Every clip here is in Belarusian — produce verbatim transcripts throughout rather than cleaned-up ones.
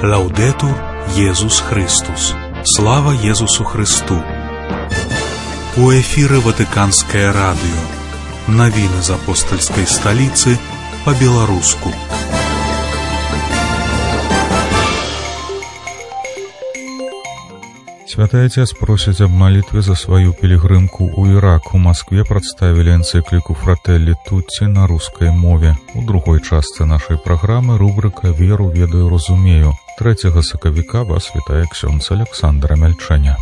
Лаудетур Єсус Христос. Слава Єсусу Христу. У эфире Ватиканское радио. Новины из апостольской столицы по-белорусски. Святой Отец просит об молитве за свою пилигримку у Ирак. У Москве представили энциклику «Фрателли Тутти» на русской мове. У другой части нашей программы рубрика «Веру, ведаю, разумею». третьего сакавіка вас вітає ксьондз Александр Амельченя.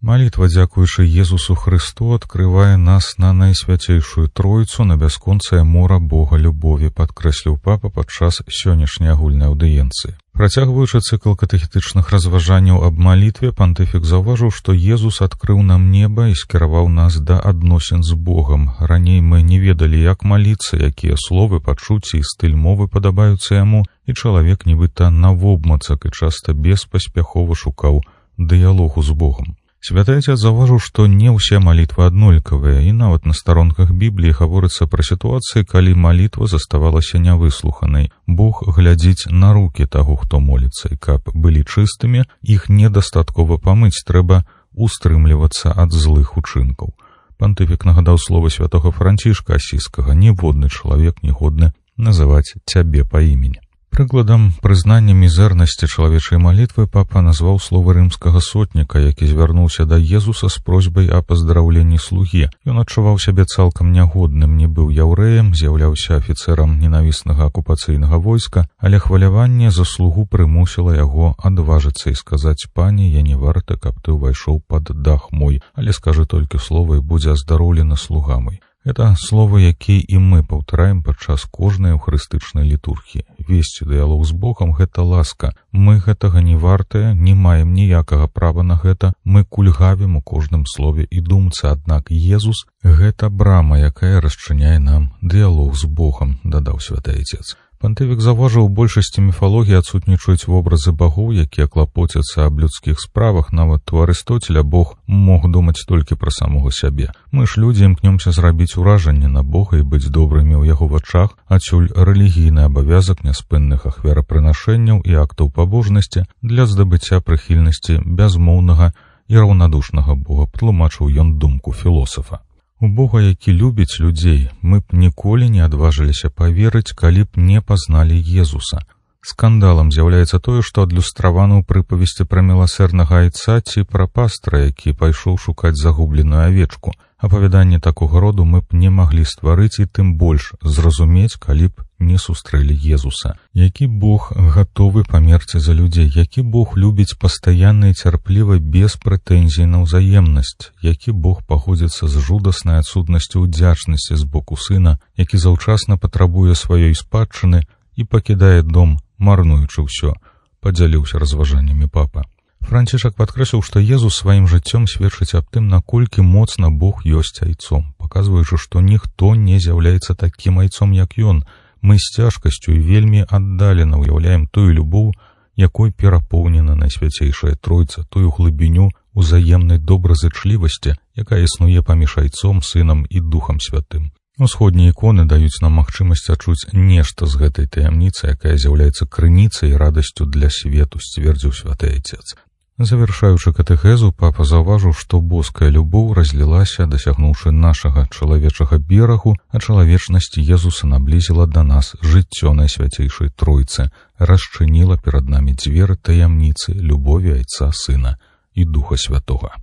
Молитва, дзякуючы Езусу Христу, открывае нас на найсвяцейшую Троицу, на бясконцае мора Бога любові, падкрэсліў папа падчас сённяшняй агульнай аўдыенцыі. Працягваючы цыкл катэхетычных разважанняў аб малітве, пантыфік заўважыў, што Езус адкрыў нам неба і скіраваў нас да адносін з Богам. Раней мы не ведалі, як маліцца, якія словы, пачуцці і стыль мовы падабаюцца яму, і чалавек нібыта навобмацак і часта беспаспяхова шукаў дыялогу з Богам. Святой Отец заўважыў, што не ўсе малітвы аднолькавыя, і нават на старонках Бібліі гаворыцца пра сітуацыі, калі малітва заставалася нявыслуханай. Бог глядзіць на рукі таго, хто моліцца, і каб былі чыстымі, іх недастаткова памыць, трэба устрымлівацца ад злых учынкаў. Пантыфік нагадаў словы святога Францішка Асійскага: «Ніводны чалавек не годны называць цябе па імені». Прыкладам прызнання мізэрнасці чалавечай малітвы папа назваў словы рымскага сотніка, які звярнуўся да Езуса з просьбай о паздраўленні слугі. Ён адчуваў сябе цалкам нягодным, не быў яўрэем, з'яўляўся афіцэрам ненавіснага акупацыйнага войска, але хваляванне за слугу прымусіла яго адважыцца і сказаць: «Пані, я не варты, каб ты ўвайшоў пад дах мой, але скажы толькі слова, і будзе аздароўлены слуга мой». Это словы, якія і мы паўтараем падчас кожнай эўхарыстычнай літургіі. Весці дыялог з Богам — гэта ласка. Мы гэтага не вартыя, не маем ніякага права на гэта. Мы кульгавім у кожным слове і думцы, аднак Езус — гэта брама, якая расчыняе нам дыялог з Богам, дадаў святой Отец. Пантыфік заўважыў, у большасці міфалогіі адсутнічаюць вобразы багоў, якія клапоцяцца аб людскіх справах. Нават у Арыстоцеля Бог мог думаць толькі пра самога сябе. Мы ж людзі імкнёмся зрабіць уражанне на Бога і быць добрымі ў яго вачах, адсюль рэлігійны абавязак няспынных ахвярапрынашэнняў і актаў пабожнасці для здабыцця прыхільнасці бязмоўнага і раўнадушнага Бога, тлумачыў ён думку філосафа. У Бога, які любіць людзей, мы б ніколі не адважыліся паверыць, калі б не пазналі Езуса. Скандалам з'яўляецца тое, што адлюстравана ў прыпавесці пра міласэрнага айца ці пра пастра, які пайшоў шукаць загубленую авечку. Апавяданне такога роду мы б не маглі стварыць і тым больш зразумець, калі б не сустрэлі Езуса. Які Бог гатовы памерці за людзей, які Бог любіць пастаянна і цярпліва без прэтэнзій на ўзаемнасць, які Бог паходзіцца з жудаснай адсутнасцю ўдзячнасці з боку сына, які заўчасна патрабуе сваёй спадчыны і пакідае дом, марнуючы ўсё, падзяліўся разважаннямі папа. Францішак падкрэсліў, што Езус сваім жыццём сведчыць аб тым, наколькі моцна Бог ёсць айцом, паказваючы, што ніхто не з'яўляецца такім айцом, як ён. Мы з цяжкасцю і вельмі аддалена ўяўляем тую любоў, якой перапоўнена найсвяцейшая Тройца, тую глыбіню узаемнай добразычлівасці, якая існуе паміж айцом, сынам і Духам Святым. Усходнія іконы даюць нам магчымасць адчуць нешта з гэтай таямніцы, якая з'яўляецца крыніцай і радасцю для свету, сцвердзіў святой Отец. Завяршаючы катэхезу, папа заўважыў, што боская любоў разлілася, дасягнуўшы нашага чалавечага берагу, а чалавечнасць Езуса наблізіла да нас жыццё найсвяцейшай Тройцы, расчыніла перад намі дзверы таямніцы любові Айца, Сына і Духа Святога.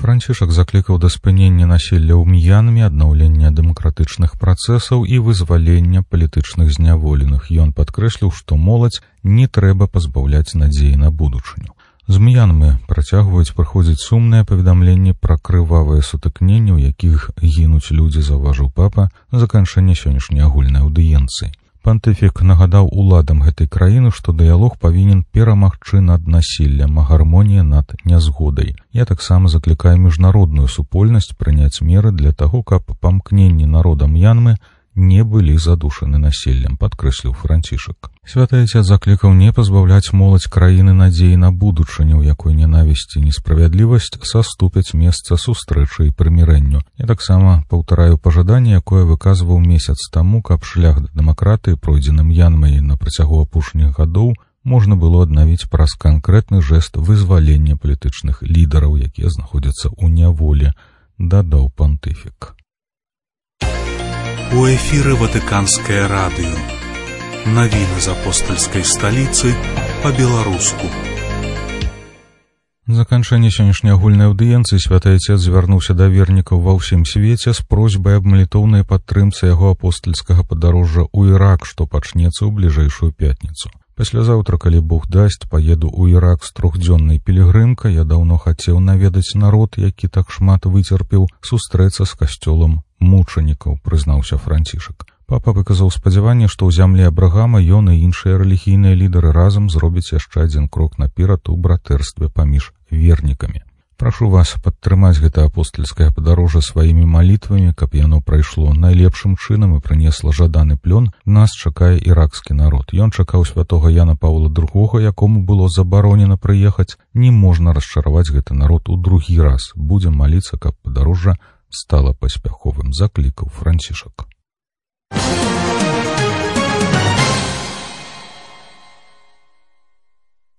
Францішак заклікаў да спынення насілля ў М'янме, аднаўлення дэмакратычных працэсаў і вызвалення палітычных зняволеных. Ён падкрэсліў, што моладзь не трэба пазбаўляць надзеі на будучыню. З М'янмы працягваюць прыходзіць сумныя паведамленні пра крывавыя сутыкненні, у якіх гінуць людзі, заўважыў папа заканчэння сённяшняй агульнай аўдыенцыі. Пантыфік нагадаў уладам гэтай краіны, што дыялог павінен перамагчы над насіллем, а гармонія над нязгодай. Я таксама заклікаю міжнародную супольнасць прыняць меры для таго, каб памкненні народа М'янмы не былі задушаны населлем, падкрэсліў Францішак. Святы Отец заклікаў не пазбаўляць моладзь краіны надзеі на будучыню, у якой ненавісць і несправядлівасць саступяць месца сустрэчы і прымірэнню. Я таксама паўтараю пажаданне, якое выказваў месяц таму, каб шлях да дэмакратыі, пройдзеным Янмай на працягу апошніх гадоў, можна было аднавіць праз канкрэтны жэст вызвалення палітычных лідараў, якія знаходзяцца ў няволі, дадаў пантыфік. У эфіры Ватыканскае радыё. Навіны з апостальскай сталіцы па-беларуску. Заканчэнне сённяшняй агульнай аўдыенцыі Святы Отец звярнуўся да вернікаў ва ўсім свеце з просьбай аб малітоўнай падтрымцы яго апостальскага падарожжа ў Ірак, што пачнецца ў бліжэйшую пятніцу. Паслязаўтра, калі Бог дасць, паеду ў Ірак з трохдзённай пілігрымкай. Я даўно хацеў наведаць народ, які так шмат выцерпеў, сустрэцца з касцёлам мучанікаў, прызнаўся Францішак. Папа выказаў спадзяванне, што ў зямлі Абрагама ён і іншыя рэлігійныя лідары разам зробяць яшчэ адзін крок наперад у братэрстве паміж вернікамі. Прашу вас падтрымаць гэта апостальскае падарожжа сваімі малітвамі, каб яно прайшло найлепшым чынам і прынесла жаданы плён. Нас чакае іракскі народ. Ён чакаў святога Яна Паўла другога, якому было забаронена прыехаць. Не можна расчараваць гэты народ у другі раз. Будзем маліцца, каб падарожжа стала паспяховым, заклікаў Францішак.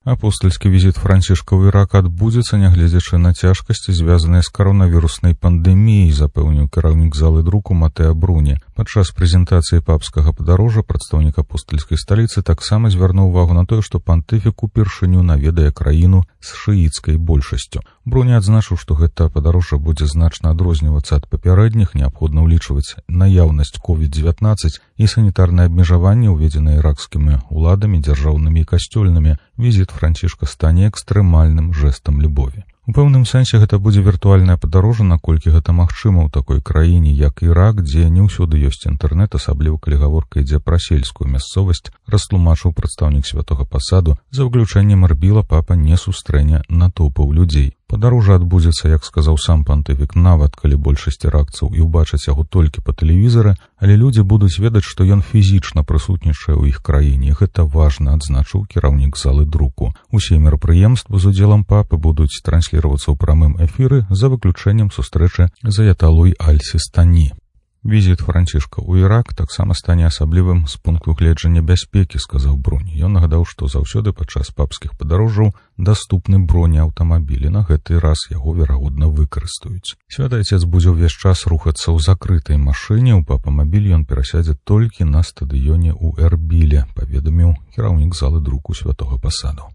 Апостальскі візіт Францішка ў Ірак адбудзецца, нягледзячы на цяжкасці, звязаныя з каронавіруснай пандэміяй, запэўніў кіраўнік залы друку Матэа Бруні. Падчас прэзентацыі папскага падарожжа прадстаўнік апостальскай сталіцы таксама звярнуў увагу на тое, што пантыфік упершыню наведае краіну з шыіцкай большасцю. Бруні адзначыў, што гэта падарожжа будзе значна адрознівацца ад папярэдніх, неабходна ўлічваць наяўнасць ковід дзевятнаццаць і санітарныя абмежаванні, уведзеныя іракскімі ўладамі, дзяржаўнымі і касцёльнымі. Візіт Францішка стане экстрэмальным жэстам любові. У пэўным сэнсе гэта будзе віртуальнае падарожжа, наколькі гэта магчыма ў такой краіне, як Ірак, дзе не ўсюды ёсць інтэрнэт, асабліва калі гаворка ідзе пра сельскую мясцовасць, растлумачыў прадстаўнік святога пасаду. За выключэннем Эрбіла папа не сустрэне натоўпаў людзей. Падарожжа адбудзецца, як сказаў сам пантыфік, нават калі большасць іракцаў і ўбачаць яго толькі па тэлевізары, але людзі будуць ведаць, што ён фізічна прысутнічае ў іх краіне. Гэта важна, адзначыў кіраўнік залы друку. Усе мерапрыемствы з удзелам папы будуць трансліравацца ў прамым эфіры, за выключэннем сустрэчы з аяталой Аль-Сістані. Візіт Францішка ў Ірак таксама стане асаблівым з пункту гледжання бяспекі, сказаў Бруні. Ён нагадаў, што заўсёды падчас папскіх падарожжаў даступны бронеаўтамабілі. На гэты раз яго, верагодна, выкарыстаюць. Святы Отец будзе ўвесь час рухацца ў закрытай машыне. У папамабіль ён перасядзе толькі на стадыёне ў Эрбіле, паведаміў кіраўнік залы друку святога пасаду.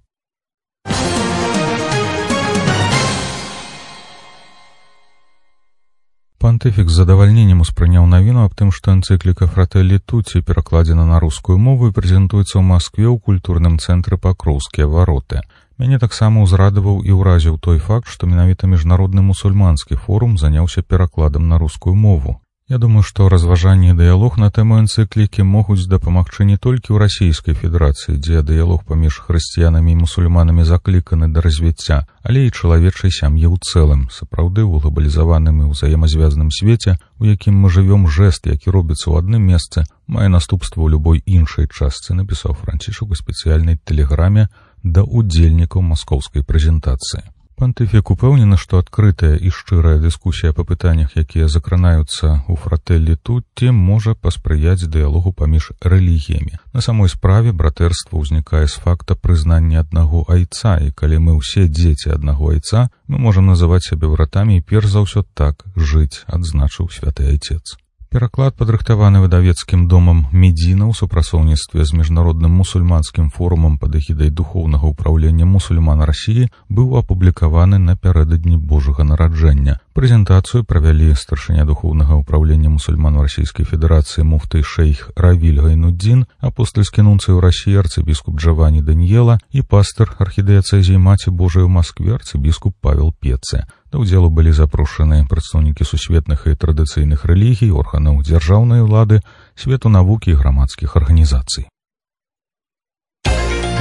Пантыфік з задавальненнем успрыняў навіну аб тым, што энцыкліка «Фрателлі Тутці» перакладзена на рускую мову і прэзентуецца ў Маскве ў культурным цэнтры «Пакроўскія вароты». Мяне таксама ўзрадаваў і ўразіў той факт, што менавіта міжнародны мусульманскі форум заняўся перакладам на рускую мову. Я думаю, што разважанне і дыялог на тэму энцыклікі могуць дапамагчы не толькі ў Расійскай Федэрацыі, дзе дыялог паміж хрысціянамі і мусульманамі закліканы да развіцця, але і чалавечай сям'і ў цэлым. Сапраўды, у глобалізаваным і ўзаемазвязаным свеце, у якім мы жывём, жэст, які робіцца ў адным месцы, мае наступства ў любой іншай частцы, напісаў Францішак у спецыяльнай тэлеграме да ўдзельнікаў маскоўскай прэзентацыі. Пантыфік упэўнены, што адкрытая і шчырая дыскусія па пытаннях, якія закранаюцца ў «Фрателлі Тутці», можа паспрыяць дыялогу паміж рэлігіямі. На самой справе братэрства ўзнікае з факта прызнання аднаго айца, і калі мы ўсе дзеці аднаго айца, мы можам называць сябе братамі і перш за ўсё так жыць, адзначыў святы Отец. Пераклад, падрыхтаваны выдавецкім домам Медзіна ў супрацоўніцтве з міжнародным мусульманскім форумам пад эгідай духоўнага ўпраўлення мусульман Расіі, быў апублікаваны напярэдадні Божага нараджэння. Прэзентацыю правялі старшыня духоўнага ўпраўлення мусульман Расійскай Федэрацыі муфты шэйх Равіль Гайнуддзін, апостальскі нунцый у Расіі арцыбіскуп Джавані Даніела і пастыр архідыяцэзіі Маці Божай у Маскве арцыбіскуп Павел Пеце. Да ўдзелу былі запрошаны прадстаўнікі сусветных і традыцыйных рэлігій, органаў дзяржаўнай улады, свету навукі і грамадскіх арганізацый.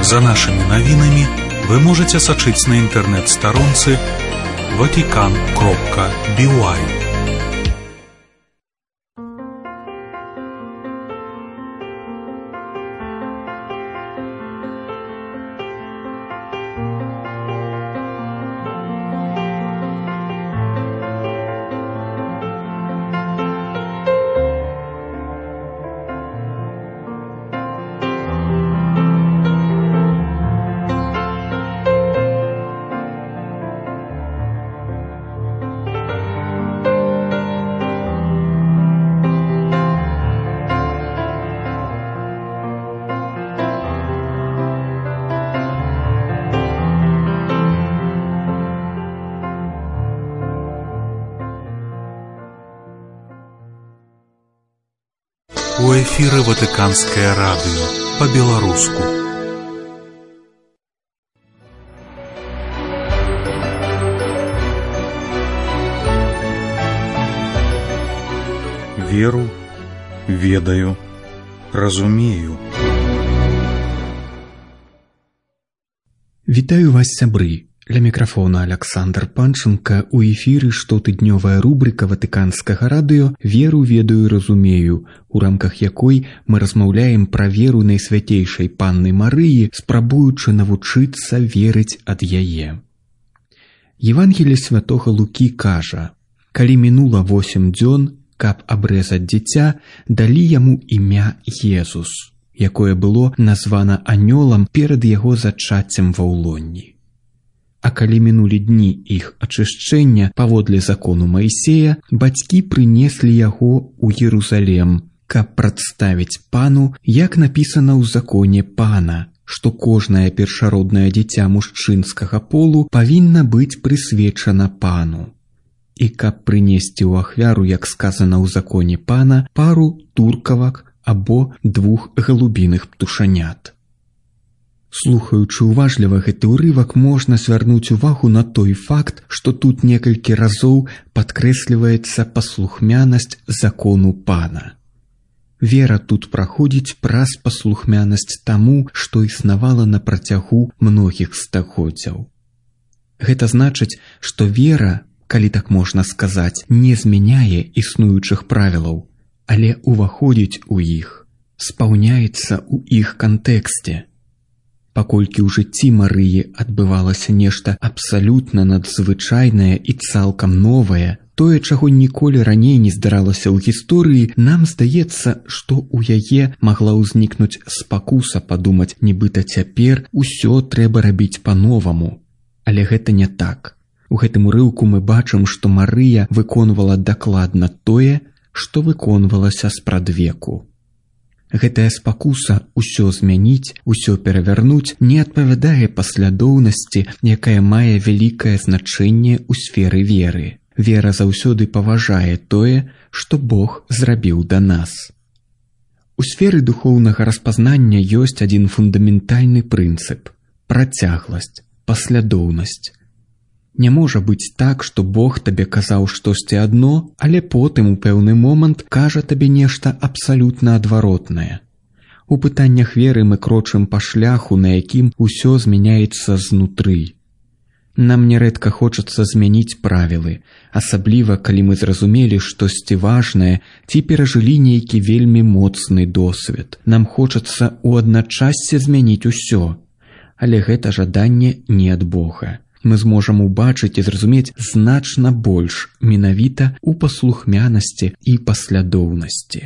За нашымі навінамі вы можаце сачыць на інтэрнэт-старонцы ватикан кропка би уай. эфіры Ватыканскае радыё па-беларуску. Веру, ведаю, разумею. Вітаю вас, сябры. Ля мікрафона Аляксандр Панченка. У эфіры штотыднёвая рубрика Ватыканскага радыё «Веру, ведаю, разумею», у рамках якой мы размаўляем пра веру найсвяцейшай панны Марыі, спрабуючы навучыцца верыць ад яе. Евангелие святога Лукі кажа: «Калі мінула восем дзён, каб абрэзаць дзіця, далі яму імя Езус, якое было названа анёлам перад яго зачаццем ва ўлонні. А калі мінулі дні іх ачышчэння паводле закону Маісея, бацькі прынеслі яго ў Єрусалем, каб прадставіць пану, як напісана ў законе пана, што кожнае першароднае дзіця мужчынскага полу павінна быць прысвечана пану. І каб прынесці ў ахвяру, як сказана ў законе пана, пару туркавак або двух галубіных птушанят». Слухаючы уважліва гэты ўрывак, можна звярнуць увагу на той факт, што тут некалькі разоў падкрэсліваецца паслухмянасць закону пана. Вера тут праходзіць праз паслухмянасць таму, што існавала на працягу многіх стагоддзяў. Гэта значыць, што вера, калі так можна сказаць, не змяняе існуючых правілаў, але уваходзіць у іх, спаўняецца ў іх кантэксце. Паколькі ў жыцці Марыі адбывалася нешта абсалютна надзвычайнае і цалкам новае, тое, чаго ніколі раней не здаралася ў гісторыі, нам здаецца, што ў яе магла ўзнікнуць спакуса падумаць, нібыта цяпер усё трэба рабіць па-новаму. Але гэта не так. У гэтым урыўку мы бачым, што Марыя выконвала дакладна тое, што выконвалася спрадвеку. Гэтая спакуса ўсё змяніць, усё перавярнуць не адпавядае паслядоўнасці, якая мае вялікае значэнне ў сферы веры. Вера заўсёды паважае тое, што Бог зрабіў да нас. У сферы духоўнага распазнання ёсць адзін фундаментальны прынцып – працягласць, паслядоўнасць. Не можа быць так, што Бог табе казаў штосьці адно, але потым у пэўны момант кажа табе нешта абсалютна адваротнае. У пытаннях веры мы крочым па шляху, на якім усё змяняецца знутры. Нам нярэдка хочацца змяніць правілы, асабліва калі мы зразумелі штосьці важнае ці перажылі нейкі вельмі моцны досвед. Нам хочацца ў адначассе змяніць усё, але гэта жаданне не ад Бога. Мы зможам убачыць і зразумець значна больш менавіта ў паслухмянасці і паслядоўнасці.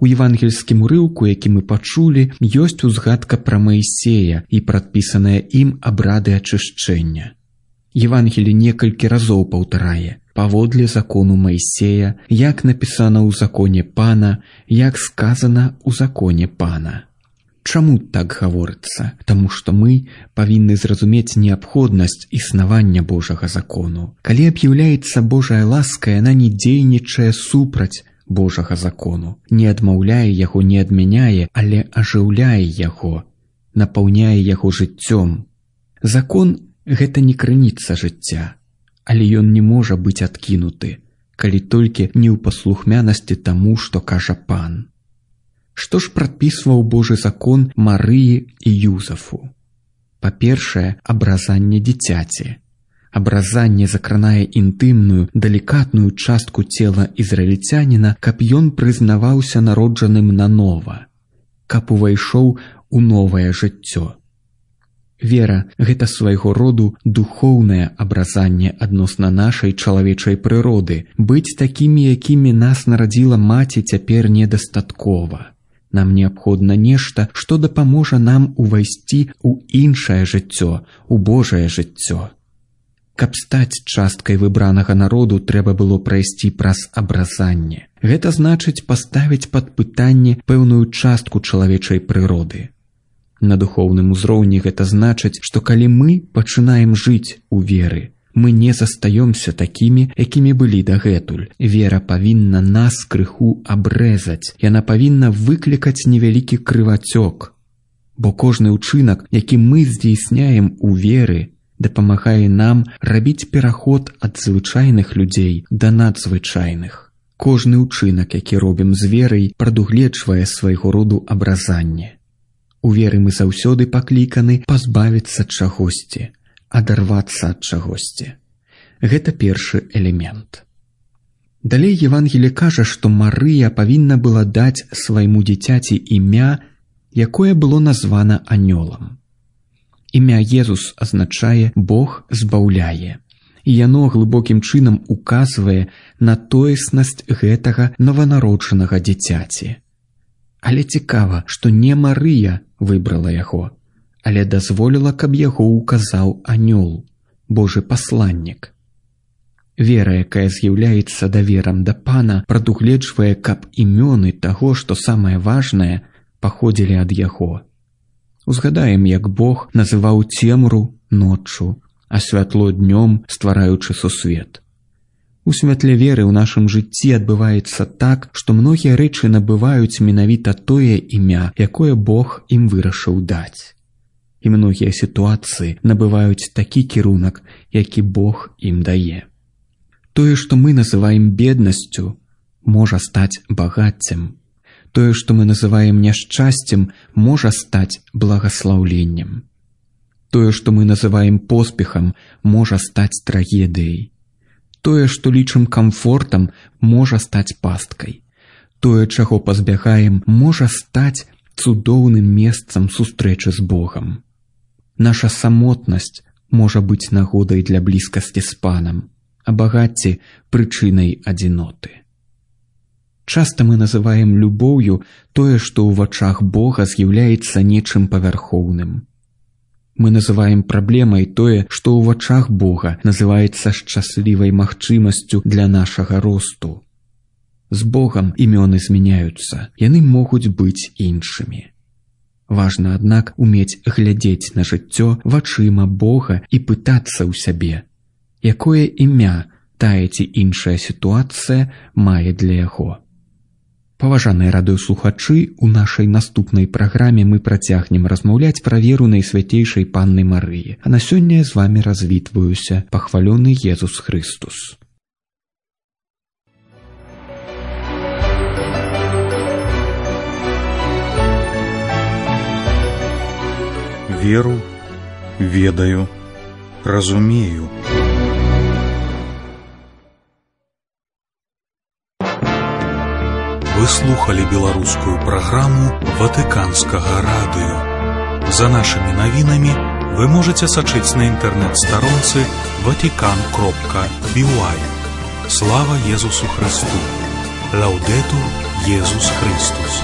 У евангельскім урыўку, які мы пачулі, ёсць узгадка пра Маісея і прадпісаныя ім абрады ачышчэння. Евангелі некалькі разоў паўтарае: паводле закону Маісея, як напісана ў законе пана, як сказана ў законе пана. Чаму так гаворыцца? Таму што мы павінны зразумець неабходнасць існавання Божага закону. Калі аб'яўляецца Божая ласка, яна не дзейнічае супраць Божага закону, не адмаўляе яго, не адмяняе, але ажыўляе яго, напаўняе яго жыццём. Закон – гэта не крыніца жыцця, але ён не можа быць адкінуты, калі толькі не ў паслухмянасці таму, што кажа пан. Што ж прадпісваў Божы закон Марыі і Юзафу? Па-першае, абразанне дзіцяці. Абразанне закранае інтымную, далікатную частку цела ізраільцяніна, каб ён прызнаваўся народжаным нанова, каб увайшоў у новае жыццё. Вера – гэта свайго роду духоўнае абразанне адносна нашай чалавечай прыроды. Быць такімі, якімі нас нарадзіла маці, цяпер недастаткова. Нам неабходна нешта, што дапаможа нам увайсці ў іншае жыццё, у Божае жыццё. Каб стаць часткай выбранага народу, трэба было прайсці праз абразанне. Гэта значыць паставіць пад пытанне пэўную частку чалавечай прыроды. На духоўным узроўні гэта значыць, што калі мы пачынаем жыць у веры, Мы не застаёмся такімі, якімі былі дагэтуль. Вера павінна нас крыху абрэзаць. Яна павінна выклікаць невялікі крывацёк. Бо кожны ўчынак, які мы здзейсняем у веры, дапамагае нам рабіць пераход ад звычайных людзей да надзвычайных. Кожны ўчынак, які робім з верай, прадугледжвае свайго роду абразанне. У веры мы заўсёды пакліканы пазбавіцца чагосьці, адарвацца ад чагосьці. Гэта першы элемент. Далей Евангелие кажа, што Марыя павінна была даць свайму дзіцяці імя, якое было названа анёлам. Імя Езус азначае «Бог збаўляе», і яно глыбокім чынам указвае на тоеснасць гэтага нованароджанага дзіцяці. Але цікава, што не Марыя выбрала яго, але дазволіла, каб яго указаў анёл, Божы пасланнік. Вера, якая з'яўляецца даверам да Пана, прадугледжвае, каб імёны таго, што самае важнае, паходзілі ад яго. Узгадаем, як Бог называў цемру ноччу, а святло днём, ствараючы сусвет. У святле веры ў нашым жыцці адбываецца так, што многія рэчы набываюць менавіта тое імя, якое Бог ім вырашыў даць. І многія сітуацыі набываюць такі кірунак, які Бог ім дае. Тое, што мы называем беднасцю, можа стаць багаццем. Тое, што мы называем няшчасцем, можа стаць благаслаўленнем. Тое, што мы называем поспехам, можа стаць трагедыяй. Тое, што лічым камфортам, можа стаць пасткай. Тое, чаго пазбягаем, можа стаць цудоўным месцам сустрэчы з Богам. Наша самотнасць можа быць нагодай для блізкасці з Панам, а багацце – прычынай адзіноты. Часта мы называем любоўю тое, што ў вачах Бога з'яўляецца нечым павярхоўным. Мы называем праблемай тое, што ў вачах Бога называецца шчаслівай магчымасцю для нашага росту. З Богам імёны змяняюцца, яны могуць быць іншымі. Важна, аднак, умець глядзець на жыццё вачыма Бога і пытацца ў сябе, якое імя тая ці іншая сітуацыя мае для яго. Паважаныя радыёслухачы, у нашай наступнай праграме мы працягнем размаўляць пра веру Найсвяцейшай Панны Марыі, а на сёння з вамі развітваюся, пахвалёны Езус Христус. Веру, ведаю, разумею. Вы слухали беларускую праграму Ватыканскага радыё. За нашымі навінамі вы можаце сачыць на інтэрнэт-старонцы ватикан кропка би уай. Слава Езусу Христу! Лаўдэтур Езус Христус!